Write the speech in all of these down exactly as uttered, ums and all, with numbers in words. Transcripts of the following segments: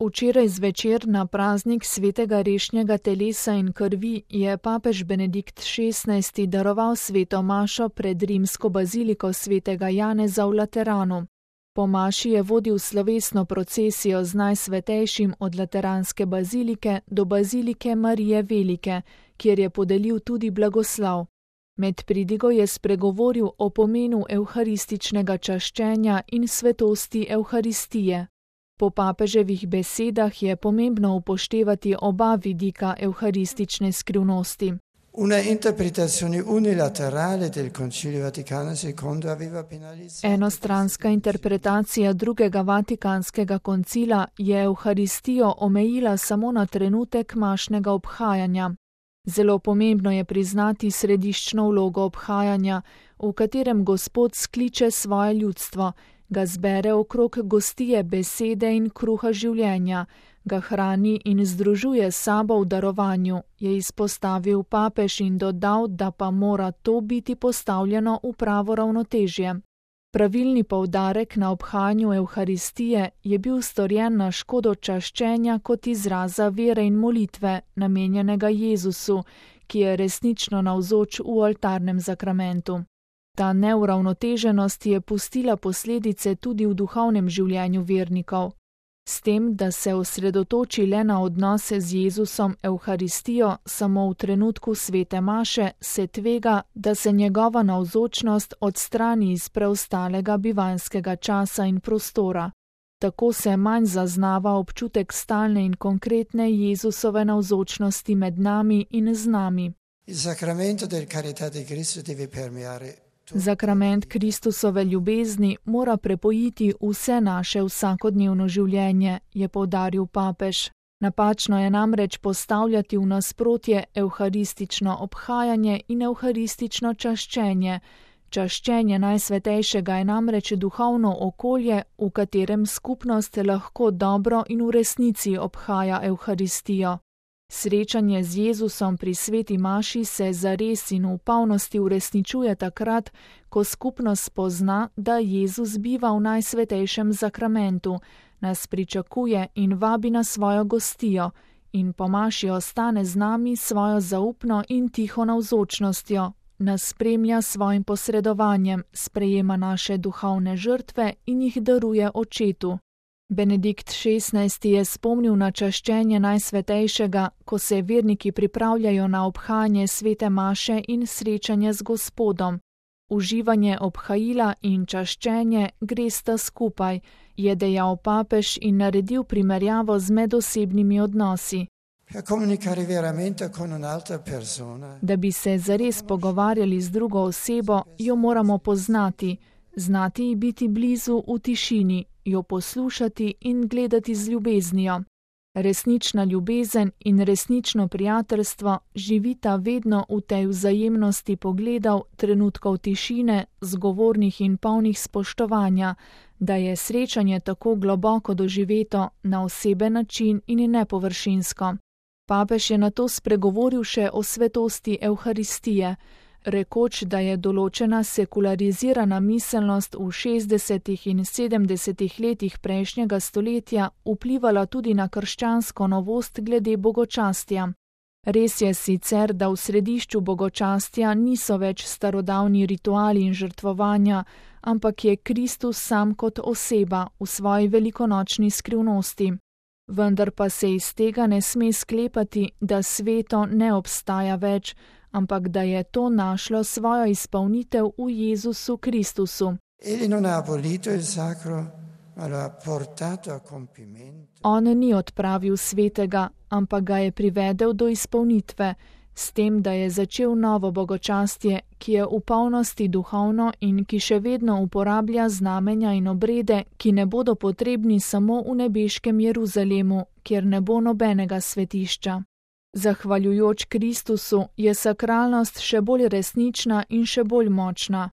Včeraj zvečer na praznik svetega rešnjega telesa in krvi je papež Benedikt šestnajsti daroval sveto mašo pred rimsko baziliko svetega Janeza v Lateranu. Po maši je vodil slovesno procesijo z najsvetejšim od lateranske bazilike do bazilike Marije Velike, kjer je podelil tudi blagoslov. Med pridigo je spregovoril o pomenu evharističnega čaščenja in svetosti Evharistije. Po papeževih besedah je pomembno upoštevati oba vidika evharistične skrivnosti. Una interpretazione unilaterale del Concilio Vaticano secondo aveva penalizzato. Enostranska interpretacija drugega vatikanskega koncila je Evharistijo omejila samo na trenutek mašnega obhajanja. Zelo pomembno je priznati središčno vlogo obhajanja, v katerem Gospod skliče svoje ljudstvo, ga zbere okrog gostije besede in kruha življenja, ga hrani in združuje s sabo v darovanju, je izpostavil papež in dodal, da pa mora to biti postavljeno v pravo ravnotežje. Pravilni poudarek na obhajanju Evharistije je bil storjen na škodo čaščenja kot izraza vere in molitve, namenjenega Jezusu, ki je resnično navzoč v oltarnem zakramentu. Ta neuravnoteženost je pustila posledice tudi v duhovnem življenju vernikov. S tem, da se osredotoči le na odnose z Jezusom Evharistijo samo v trenutku svete maše, se tvega, da se njegova navzočnost odstrani iz preostalega bivanjskega časa in prostora. Tako se manj zaznava občutek stalne in konkretne Jezusove navzočnosti med nami in z nami. Il sacramento del carità di Cristo deve permeare. Zakrament Kristusove ljubezni mora prepojiti vse naše vsakodnevno življenje, je poudaril papež. Napačno je namreč postavljati v nasprotje evharistično obhajanje in evharistično čaščenje. Čaščenje Najsvetejšega je namreč duhovno okolje, v katerem skupnost lahko dobro in v resnici obhaja Evharistijo. Srečanje z Jezusom pri sveti maši se zares in v polnosti uresničuje takrat, ko skupnost spozna, da Jezus biva v Najsvetejšem zakramentu, nas pričakuje in vabi na svojo gostijo in po maši ostane z nami svojo zaupno in tiho navzočnostjo, nas spremlja svojim posredovanjem, sprejema naše duhovne žrtve in jih daruje Očetu. Benedikt šestnajsti je spomnil na čaščenje Najsvetejšega, ko se verniki pripravljajo na obhajanje svete maše in srečanje z Gospodom. Uživanje obhajila in čaščenje gresta skupaj, je dejal papež in naredil primerjavo z medosebnimi odnosi. Da bi se zares pogovarjali z drugo osebo, jo moramo poznati, znati ji biti blizu v tišini, jo poslušati in gledati z ljubeznijo. Resnična ljubezen in resnično prijateljstvo živita vedno v tej vzajemnosti pogledov, trenutkov tišine, zgovornih in polnih spoštovanja, da je srečanje tako globoko doživeto na oseben način in nepovršinsko. Papež je nato spregovoril še o svetosti Evharistije, rekoč, da je določena sekularizirana miselnost v šestdesetih in sedemdesetih letih prejšnjega stoletja vplivala tudi na krščansko novost glede bogočastja. Res je sicer, da v središču bogočastja niso več starodavni rituali in žrtvovanja, ampak je Kristus sam kot oseba v svoji velikonočni skrivnosti. Vendar pa se iz tega ne sme sklepati, da sveto ne obstaja več, ampak da je to našlo svojo izpolnitev v Jezusu Kristusu. On ni odpravil svetega, ampak ga je privedel do izpolnitve, s tem, da je začel novo bogočastje, ki je v polnosti duhovno in ki še vedno uporablja znamenja in obrede, ki ne bodo potrebni samo v nebeškem Jeruzalemu, kjer ne bo nobenega svetišča. Zahvaljujoč Kristusu je sakralnost še bolj resnična in še bolj močna.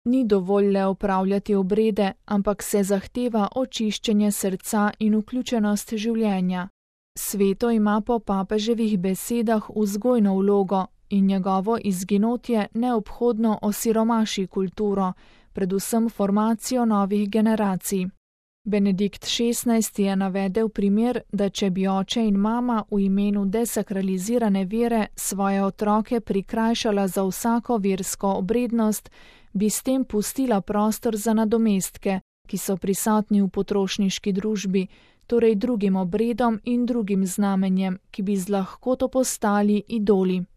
Ni dovolj le opravljati obrede, ampak se zahteva očiščenje srca in vključenost življenja. Sveto ima po papeževih besedah vzgojno vlogo in njegovo izginotje neobhodno osiromaši kulturo, predvsem formacijo novih generacij. Benedikt šestnajsti je navedel primer, da če bi oče in mama v imenu desakralizirane vere svoje otroke prikrajšala za vsako versko obrednost, bi s tem pustila prostor za nadomestke, ki so prisotni v potrošniški družbi, torej drugim obredom in drugim znamenjem, ki bi z lahkoto postali idoli.